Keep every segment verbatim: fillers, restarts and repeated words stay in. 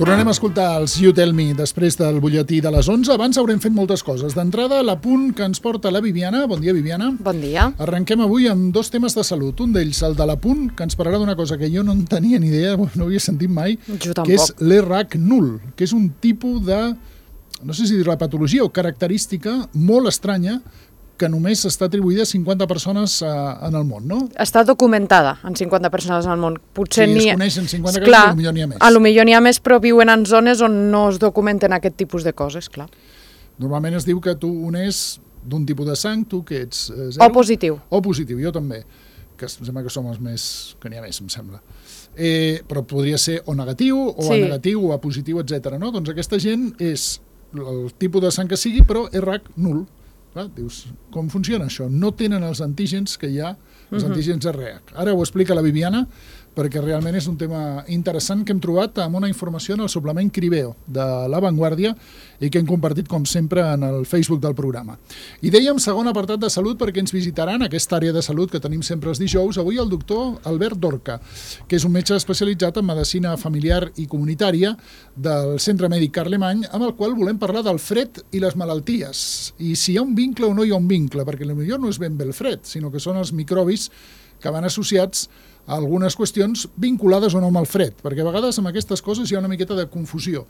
Tornarem a escoltar els You Tell Me després del butlletí de les onze. Abans haurem fet moltes coses. D'entrada, l'apunt que ens porta la Viviana. Bon dia, Viviana. Bon dia. Arrenquem avui amb dos temes de salut. Un d'ells, el de l'apunt, que ens parlarà d'una cosa que jo no en tenia ni idea, no havia sentit mai, jo tampoc. Que és l'E R A C nul, que és un tipus de, no sé si dir la patologia o característica molt estranya que només està atribuïda a cinquanta persones eh, en el món, no? Està documentada en cinquanta persones en el món. Potser sí, ni... es coneixen cinquanta clar, casos, potser n'hi ha més. A lo millor n'hi ha més, però viuen en zones on no es documenten aquest tipus de coses, clar. Normalment es diu que tu unés d'un tipus de sang, tu que ets eh, zero. O positiu. O positiu, jo també, que em sembla que som els més... que n'hi ha més, em sembla. Eh, però podria ser o negatiu, o sí. a negatiu, o a positiu, etcètera. No? Doncs aquesta gent és el tipus de sang que sigui, però E R A C nul. Clar, dius, com funciona això? No tenen els antígens que hi ha, els uh-huh. antígens E R A C. Ara ho explica la Viviana, perquè realment és un tema interessant que hem trobat amb una informació en el suplement Cribeo de La Vanguardia i que hem compartit, com sempre, en el Facebook del programa. I dèiem segon apartat de salut perquè ens visitaran aquesta àrea de salut que tenim sempre els dijous. Avui el doctor Albert Dorca, que és un metge especialitzat en medicina familiar i comunitària del Centre Mèdic Carlemany, amb el qual volem parlar del fred i les malalties. I si hi ha un vincle o no hi ha un vincle, perquè potser no és ben bé el fred, sinó que són els microbis que van associats a algunes qüestions vinculades o no amb el fred, perquè a vegades amb aquestes coses hi ha una miqueta de confusió.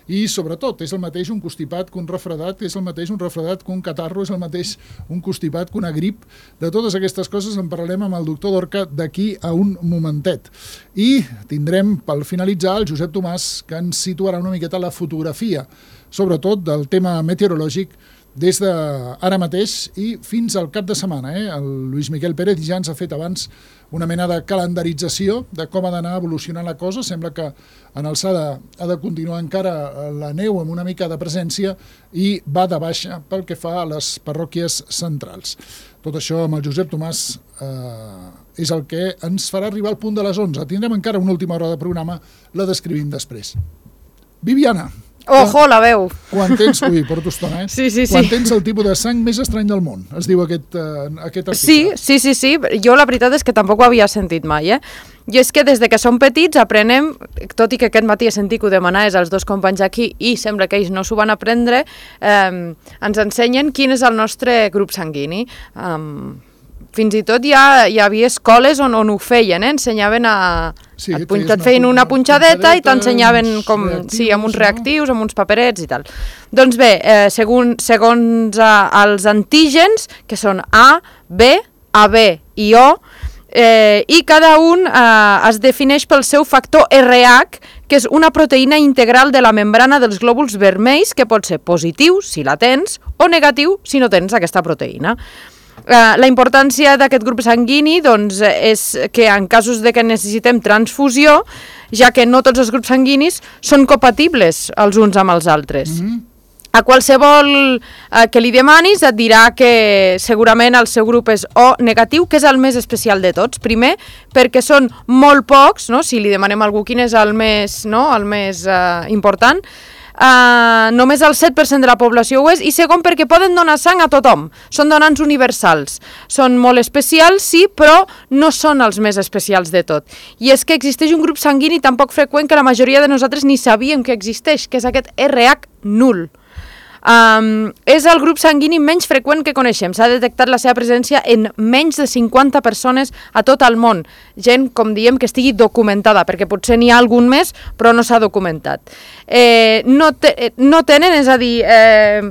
I sobretot, és el mateix un constipat que un refredat, és el mateix un refredat que un catarro, és el mateix un constipat que una grip. De totes aquestes coses en parlarem amb el doctor Dorca d'aquí a un momentet. I tindrem, pel finalitzar, el Josep Tomàs, que ens situarà una miqueta la fotografia, sobretot del tema meteorològic, des d'ara mateix i fins al cap de setmana. Eh? El Lluís Miquel Pérez ja ens ha fet abans una mena de calendarització de com ha d'anar evolucionant la cosa. Sembla que en alçada ha de continuar encara la neu amb una mica de presència i va de baixa pel que fa a les parròquies centrals. Tot això amb el Josep Tomàs eh, és el que ens farà arribar al punt de les onze. Tindrem encara una última hora de programa, la descrivim després. Viviana. Ojo, la veu. Quan tens... Ui, porto estona, eh? Sí, sí, sí. Quan tens el tipus de sang més estrany del món, es diu aquest, uh, aquest article. Sí, sí, sí, sí. Jo la veritat és que tampoc ho havia sentit mai, eh? I és que des de que som petits aprenem, tot i que aquest matí he sentit que ho demanaves als dos companys aquí i sembla que ells no s'ho van aprendre, eh, ens ensenyen quin és el nostre grup sanguini. Um, fins i tot ja hi havia escoles on, on ho feien, eh? Ensenyaven a... Sí, et, punxa, et feien una punxadeta i t'ensenyaven com, sí, amb uns reactius, amb uns paperets i tal. Doncs bé, eh, segon, segons eh, els antígens, que són A, B, A B i O, eh, i cada un eh, es defineix pel seu factor R H, que és una proteïna integral de la membrana dels glòbuls vermells, que pot ser positiu, si la tens, o negatiu, si no tens aquesta proteïna. Uh, la importància d'aquest grup sanguini doncs, és que en casos de que necessitem transfusió, ja que no tots els grups sanguinis són compatibles els uns amb els altres. Mm-hmm. A qualsevol uh, que li demanis et dirà que segurament el seu grup és O negatiu, que és el més especial de tots. Primer, perquè són molt pocs, no? Si li demanem a algú quin és el més, no? el més uh, important, Uh, només el set per cent de la població ho és, i segon perquè poden donar sang a tothom, són donants universals, són molt especials, sí, però no són els més especials de tot. I és que existeix un grup sanguini tan poc freqüent que la majoria de nosaltres ni sabíem que existeix, que és aquest R H nul. Um, és el grup sanguini menys freqüent que coneixem. S'ha detectat la seva presència en menys de cinquanta persones a tot el món. Gent, com diem, que estigui documentada, perquè potser n'hi ha algun més, però no s'ha documentat. Eh, no, te, no tenen, és a dir, eh,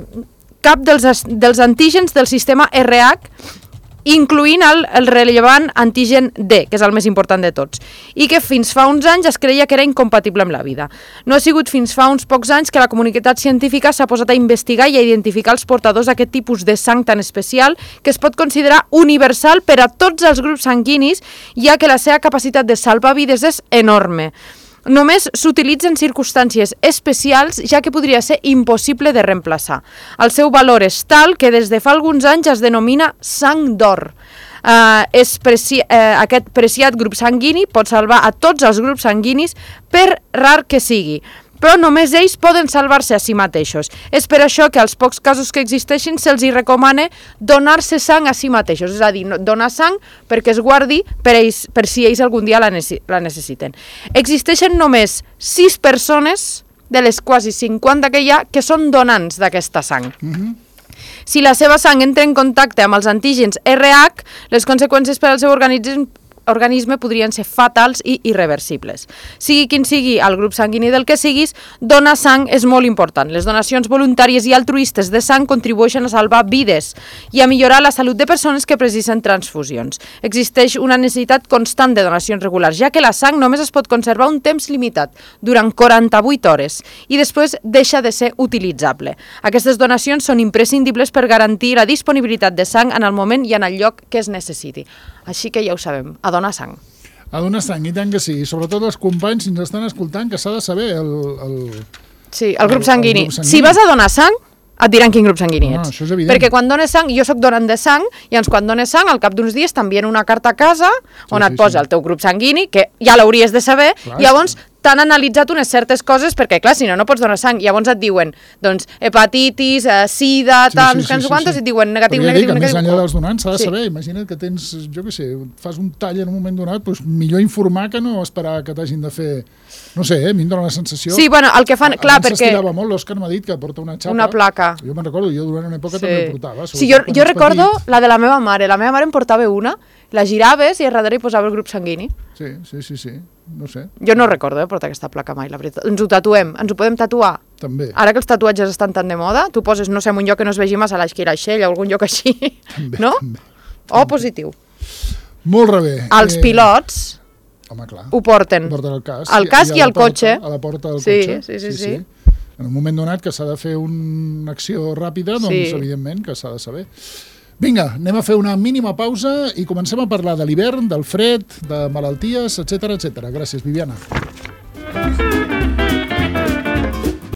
cap dels, dels antígens del sistema R H, incloent el, el rellevant antigen D, que és el més important de tots, i que fins fa uns anys es creia que era incompatible amb la vida. No ha sigut fins fa uns pocs anys que la comunitat científica s'ha posat a investigar i a identificar els portadors d'aquest tipus de sang tan especial, que es pot considerar universal per a tots els grups sanguinis, ja que la seva capacitat de salvar vides és enorme. Només s'utilitza en circumstàncies especials, ja que podria ser impossible de reemplaçar. El seu valor és tal que des de fa alguns anys es denomina sang d'or. Uh, és preci uh, aquest preciat grup sanguini pot salvar a tots els grups sanguinis, per rar que sigui, però només ells poden salvar-se a si mateixos. És per això que als pocs casos que existeixin se'ls hi recomana donar-se sang a si mateixos, és a dir, donar sang perquè es guardi per, ells, per si ells algun dia la, necessiten. Existeixen només sis persones de les quasi cinquanta que hi ha que són donants d'aquesta sang. Mhm. Si la seva sang entra en contacte amb els antígens R H, les conseqüències per al seu organisme organisme podrien ser fatals i irreversibles. Sigui quin sigui el grup sanguini del que siguis, donar sang és molt important. Les donacions voluntàries i altruistes de sang contribueixen a salvar vides i a millorar la salut de persones que precisen transfusions. Existeix una necessitat constant de donacions regulars, ja que la sang només es pot conservar un temps limitat, durant quaranta-vuit hores, i després deixa de ser utilitzable. Aquestes donacions són imprescindibles per garantir la disponibilitat de sang en el moment i en el lloc que es necessiti. Així que ja ho sabem, a donar sang. A donar sang, i tant que sí. I sobretot els companys, si ens estan escoltant, que s'ha de saber el... el... Sí, el grup el, sanguini. el grup sanguini. Si vas a donar sang, et diran quin grup sanguini No, ets. això és evident. Perquè quan dones sang, jo sóc donant de sang, i llavors quan dones sang, al cap d'uns dies t'envien una carta a casa on Sí, et sí, posa sí. el teu grup sanguini, que ja l'hauries de saber, Clar, i llavors t'han analitzat unes certes coses, perquè clar, si no, no pots donar sang. Llavors et diuen, doncs, hepatitis, eh, sida, Sí, tal, sí, no sé sí, sí, quantos, sí. i et diuen negatiu, Però ja negatiu, dic, negatiu. més enllà dels donants s'ha de Sí. saber. Imagina't que tens, jo què sé, fas un tall en un moment donat, doncs millor informar que no esperar que t'hagin de fer... No sé, eh, a mi em dóna la sensació... Sí, bueno, el que fan, clar, Abans perquè... s'estirava molt, l'Òscar m'ha dit que porta una xapa. Una placa. Jo me'n recordo, jo durant una època Sí. també portava. Sí, jo, sobretot quan jo ets recordo petit. la de la meva mare. La meva mare em portava una, la giraves i a darrere hi posava el grup sanguini. Sí, sí, sí, sí, no sé, Jo no recordo eh, portar aquesta placa mai, la veritat. Ens ho tatuem, ens ho podem tatuar. també. Ara que els tatuatges estan tan de moda, tu poses, no sé, en un lloc que no es vegi massa l'esquireixell o algun lloc així, També, no? també, O positiu. Molt rebé. Els pilots Home, clar. ho porten. Porten el casc. El casc a i la el porta, cotxe. A la porta del Sí, cotxe. sí, sí, sí. En un moment donat que s'ha de fer una acció ràpida, doncs Sí. evidentment que s'ha de saber. Vinga, anem a fer una mínima pausa i comencem a parlar de l'hivern, del fred, de malalties, etcètera, etcètera. Gràcies, Viviana.